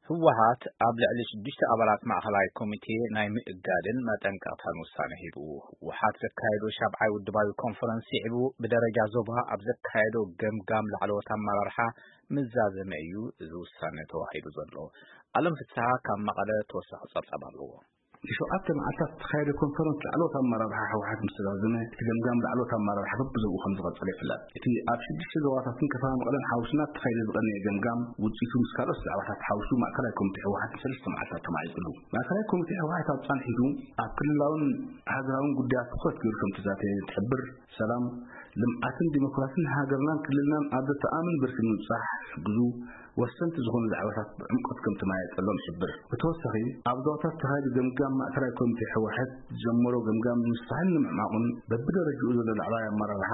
ህወሓት ኣብ ልዕሊ ሽዱሽተ ኣባላት ማእኸላይ ኮሚቴ ናይ ምእጋድን መጠንቀቕታን ውሳነ ሂቡ። ህወሓት ዘካየዶ ሻብዓይ ውድባዊ ኮንፈረንስ ስዒቡ ብደረጃ ዞባ ኣብ ዘካየዶ ገምጋም ላዕለዎት ኣመራርሓ ምዛዘመ እዩ እዚ ውሳነ ተዋሂዱ ዘሎ። ኣለም ፍስሓ ካብ መቐለ ተወሳኺ ጸብጻብ ኣለዎ። ንሸውዓተ መዓልታት ዝተኻየደ ኮንፈረንስ ላዕለዎት ኣመራርሓ ህወሓት ምስ ተዛዘመ፣ እቲ ገምጋም ላዕለዎት ኣመራርሓ በብዞብኡ ከም ዝቐጸለ ይፍለጥ። እቲ ኣብ ሽዱሽተ ዞባታትን ከተማ መቐለን ሓዊስና ዝተኻየደ ዝቐነየ ገምጋም ውጽኢቱ ምስ ካልኦት ዛዕባታት ሓዊሱ ማእከላይ ኮሚቴ ህወሓት ንሰለስተ መዓልታት ተማዒፅሉ። ማእከላይ ኮሚቴ ህወሓት ኣብ ፃንሒቱ ኣብ ክልላውን ሃገራውን ጉዳያት ትኹረት ገይሩ ከም ተዛተየ ትሕብር። ሰላም፣ ልምዓትን ዲሞክራሲን ሃገርናን ክልልናን ኣብ ዘተኣምን ብርኪ ንምብጻሕ ዝሕግዙ ወሰንቲ ዝኾኑ ዛዕባታት ብዕምቆት ከም ተመያየጠሎም ይሕብር። ብተወሳኺ፣ ኣብ ዞባታት ዝተኻየደ ገምጋም ማእከላይ ኮሚቴ ህወሓት ዝጀመሮ ገምጋም ንምስፋሕን ንምዕማቑን በብደረጅኡ ዘሎ ላዕለዋይ ኣመራርሓ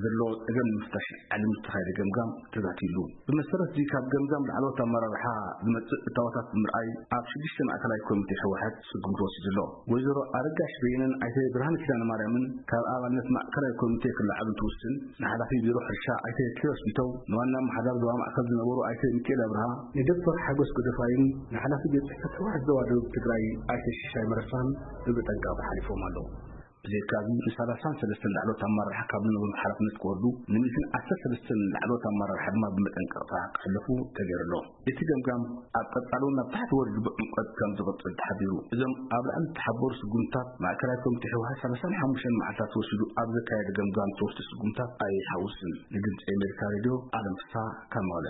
ዘለዎ ጸገም ንምፍታሽ ዓሊሙ ዝተኻየደ ገምጋም ተዛቲዩሉ። ብመሰረት እዚ ካብ ገምጋም ላዕለዎት ኣመራርሓ ዝመጽእ እታወታት ብምርኣይ ኣብ ሽዱሽተ ማእከላይ ኮሚቴ ህወሓት ስጉምቲ ወሲዱ ኣሎ። ወይዘሮ ኣረጋሽ በየነን ኣይተ ብርሃነ ኪዳነ ማርያምን ካብ ኣባልነት ማእከላይ ኮሚቴ ክለዓሉ እንትውስን፣ ንሓላፊ ቢሮ ሕርሻ ኣይተ ኪሮስ ቢተው፣ ንዋና ኣመሓዳሪ ዞባ ማእከል ዝነበሩ ኣይተ ሚካኤል ኣብርሃ፣ ንዶክተር ሓጎስ ጎደፋይን ንሓላፊ ቤት ጽሕፈት ህወሓት ዞባ ደቡብ ትግራይ ኣይተ ሽሻይ መረሳን ብመጠንቀቕታ ሓሊፎም ኣለዉ። ብዘይካዚ ንሳላሳን ሰለስተን ላዕለዎት ኣመራርሓ ካብ ዝነበሩ ሓላፍነት ክወርዱ፣ ንሚእትን ዓሰርተ ሰለስተን ላዕለዎት ኣመራርሓ ድማ ብመጠንቀቕታ ክሕለፉ ተገይሩ ኣሎ። እቲ ገምጋም ኣብ ቀጻሊ እውን ናብ ታሕቲ ወሪዱ ብዕምቆት ከም ዝቕጽል ተሓቢሩ። እዞም ኣብ ላዕሊ ዝተሓበሩ ስጉምትታት ማእከላይ ኮሚቴ ህወሓት ሰላሳን ሓሙሽተን መዓልታት ወሲዱ ኣብ ዘካየደ ገምጋም ዝተወስዱ ስጉምትታት ኣይሓውስን። ንድምጺ ኣሜሪካ ሬድዮ ኣለም ፍስሓ ካብ መቐለ።